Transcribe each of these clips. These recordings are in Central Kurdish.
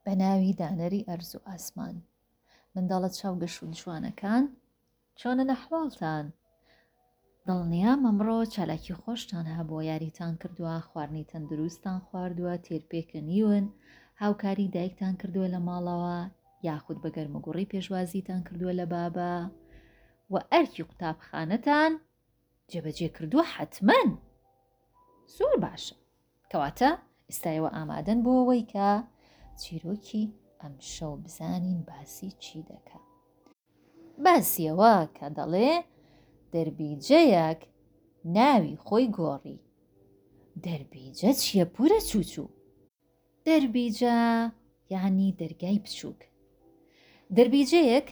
بە ناوی دانەری ئەرز و ئاسمان. منداڵە چاوگەش و جوانەکان چۆنن ئەحواڵتان؟ دڵنیام ئەمڕۆ چالاکی خۆشتان هەبووە یاریتان کردووە خواردنی تەندروستتان خواردووە تێر پێکەنیون هاوکاری دایکتان کردووە لە ماڵەوە یاخود بە گەرموگوڕی پێشوازیتان کردووە لە بابە و ئەرکی قوتابخانەتان جێبەجێ کردووە حەتمەن زۆر باشە کەواتە ئێستا ئێوە ئامادەن بۆ ئەوەی کە چیرۆکی ئەمشەو بزانین باسی چی دەکا. باسی ئەوە کە دەڵێ دەربیجەیەک ناوی خۆی گۆڕی. دەربیجە چییە پورە چوچوو؟ دەربیجە یانی دەرگای بچووک. دەربیجەیەک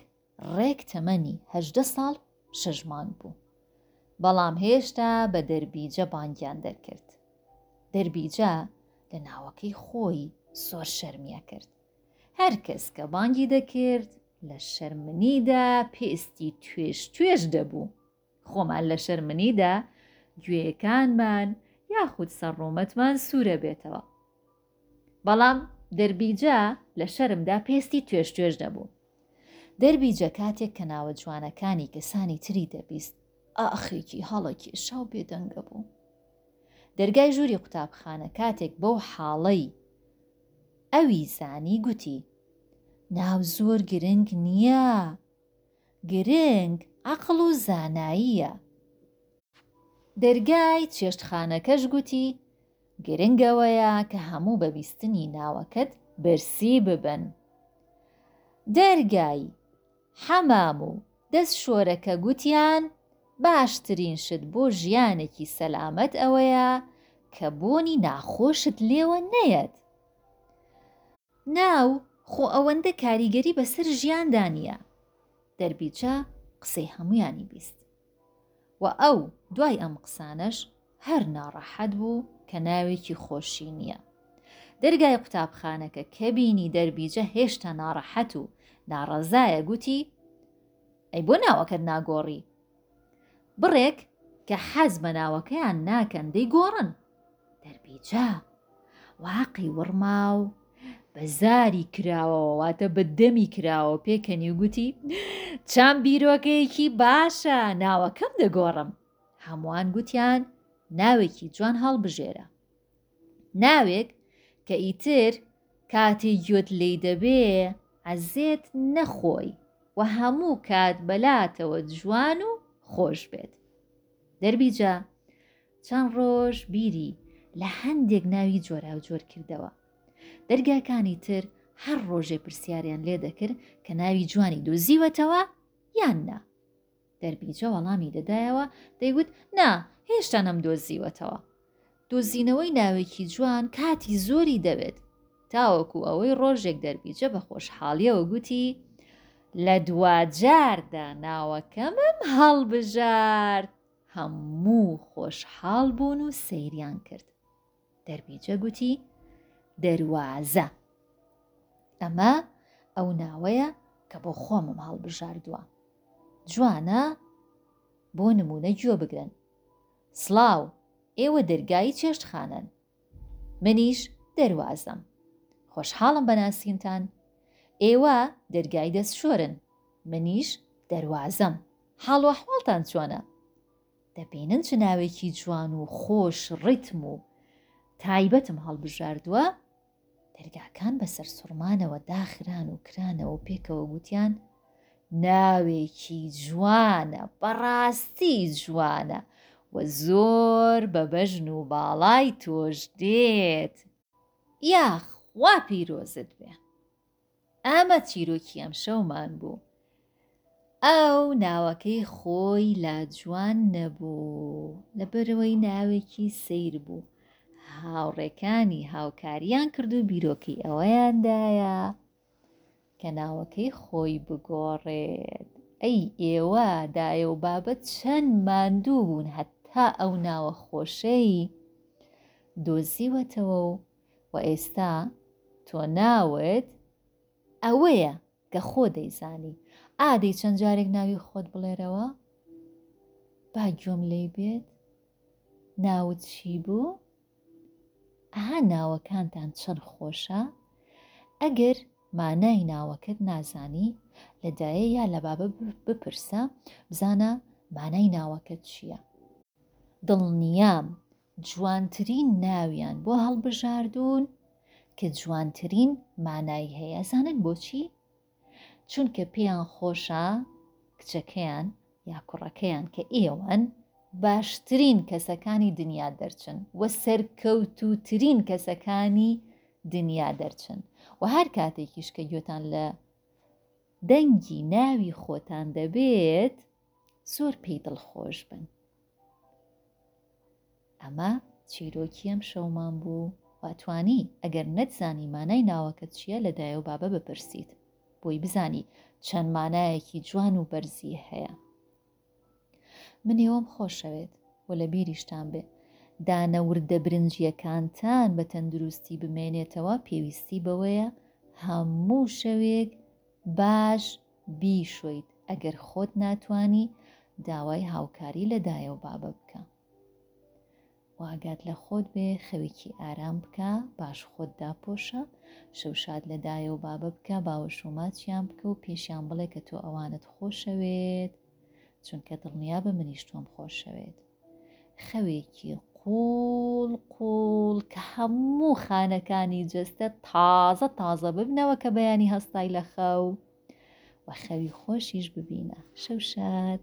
ڕێک تەمەنی 18 ساڵ شەش مانگ بوو. بەڵام هێشتا بە دەربیجە بانگیان دەرکرد. دەربیجە لە ناوەکەی خۆی زۆر شەرمی ئەکرد. هەر کەس کە بانگی دەکرد لە شەرمنیدا پێستی توێژ توێژ دەبوو. خۆمان لە شەرمنیدا گوێیەکانمان یاخود سەر ڕوومەتمان سوورە بێتەوە. بەڵام دەربیجە لە شەرمدا پێستی توێژ توێژ دەبوو. دەربیجە کاتێک کە ناوە جوانەکانی کەسانی تری دەبیست، ئاخێکی هەڵەکێشا و بێدەنگە بوو. دەرگای ژووری قوتابخانە کاتێک بەو حاڵەی ئەوی زانی گوتی، ناو زۆر گرنگ نییە، گرنگ عەقڵ و زاناییە. دەرگای چێشتخانەکەش گوتی، گرنگ ئەوەیە کە هەموو بە بیستنی ناوەکەت برسی ببن. دەرگای حەمام و دەستشۆرەکە گوتیان، باشترین شت بۆ ژیانێکی سەلامەت ئەوەیە کە بۆنی ناخۆشت لێوە نەیەت. ناو خۆ ئەوەندە کاریگەری بەسەر ژیاندا نییە. دەربیچە قسەی هەموویانی بیست. و ئەو دوای ئەم قسانەش هەر ناڕەحەت بوو کە ناوێکی خۆشی نییە. دەرگای قوتابخانەکە کە بینی دەربیجە هێشتا ناڕەحەت و ناڕەزایە گوتی، ئەی بۆ ناوەکەت ناگۆڕی؟ بڕێک کە حەز بە ناوەکەیان ناکەن دەیگۆڕن. دەربیجە واقی وڕما و بە زاری کراوەوە واتە بە دەمی کراوە پێکەنی و گوتی چەند بیرۆکەیەکی باشە ناوەکەم دەگۆڕم هەمووان گوتیان ناوێکی جوان هەڵبژێرە ناوێک کە ئیتر کاتێ گوێت لێی دەبێ عەزێت نەخۆی و هەموو کات بەلاتەوە جوان و خۆش بێت دەربیجە چەند ڕۆژ بیری لە هەندێک ناوی جۆراوجۆر کردەوە. دەرگاکانی تر هەر ڕۆژێ پرسیاریان لێ دەکرد کە ناوی جوانی دۆزیوەتەوە یان نا. دەربیجە وەڵامی دەدایەوە دەیگوت نا هێشتا نەمدۆزیوەتەوە. دۆزینەوەی ناوێکی جوان کاتی زۆری دەوێت. تاوەکو ئەوەی ڕۆژێک دەربیجە بە خۆشحاڵیەوە گوتی لە دواجاردا ناوەکەمم هەڵبژارد. هەموو خۆشحاڵ بوون و سەیریان کرد. دەربیجە گوتی، دەروازە. ئەمە ئەو ناوەیە کە بۆ خۆمم هەڵبژاردووە. جوانە؟ بۆ نموونە گوێ بگرن. سڵاو، ئێوە دەرگای چێشتخانەن. منیش دەروازەم. خۆشحاڵم بە ناسینتان. ئێوە دەرگای دەستشۆرن. منیش دەروازەم. حاڵ و ئەحواڵتان چۆنە؟ دەبینن چ ناوێکی جوان و خۆش ڕیتم و تایبەتم هەڵبژاردووە؟ دەرگاکان بە سەرسوڕمانەوە داخران و کرانەوە و پێکەوە گوتیان، ناوێکی جوانە، بەڕاستی جوانە و زۆر بە بەژن و باڵای تۆش دێت. یاخوا پیرۆزت بێ. ئەمە چیرۆکی ئەمشەومان بوو. ئەو ناوەکەی خۆی لا جوان نەبوو، لەبەرئەوەی ناوێکی سەیر بوو. هاوڕێکانی هاوکاریان کرد و بیرۆکەی ئەوەیان دایە کە ناوەکەی خۆی بگۆڕێت. ئەی ئێوە دایە و بابە چەند ماندوو بوون هەتا ئەو ناوە خۆشەی دۆزیوەتەوە و و ئێستا تۆ ناوت ئەوەیە کە خۆ دەیزانی. ئادەی چەند جارێک ناوی خۆت بڵێرەوە با گوێم لێی بێت. ناوت چی بوو؟ ئەها ناوەکانتان چەند خۆشە. ئەگەر مانای ناوەکەت نازانی لە دایە یا لە بابە بپرسە بزانە مانای ناوەکەت چییە. دڵنیام جوانترین ناویان بۆ هەڵبژاردوون کە جوانترین مانای هەیە ئەزانن بۆچی؟ چونکە پێیان خۆشە کچەکەیان یا کوڕەکەیان کە ئێوەن باشترین کەسەکانی دنیا دەرچن و سەرکەوتووترین کەسەکانی دنیا دەرچن و هەر کاتێکیش کە گوێتان لە دەنگی ناوی خۆتان دەبێت زۆر پێی دڵخۆش بن. ئەمە چیرۆکی ئەم شەومان بوو و توانی ئەگەر نەتزانی مانای ناوەکەت چییە لە دایە و بابە بپرسیت بۆی بزانی چەند مانایەکی جوان و بەرزی هەیە. من ئێوەم خۆشەوێت و لە بیریشتان بێ دانە وردە برنجییەکانتان بە تەندروستی بمێنێتەوە پێویستی بەوەیە هەموو شەوێک باش بیشۆیت ئەگەر خۆت ناتوانی داوای هاوکاری لە دایە و بابە بکە و ئاگات لە خۆت بێ خەوێکی ئارام بکە باش خۆت داپۆشە شەوشاد لە دایە و بابە بکە باوەش و ماچیان بکە و پێشیان بڵێ کە تۆ ئەوانت خۆشەوێت چونکە دڵنیابە منیش تۆم خۆشەوێت خەوێکی قوڵ قوڵ کە هەموو خانەکانی جەستە تازە تازە ببنەوە کە بەیانی هەستای لە خەو و خەوی خۆشیش ببینە شەو شاد.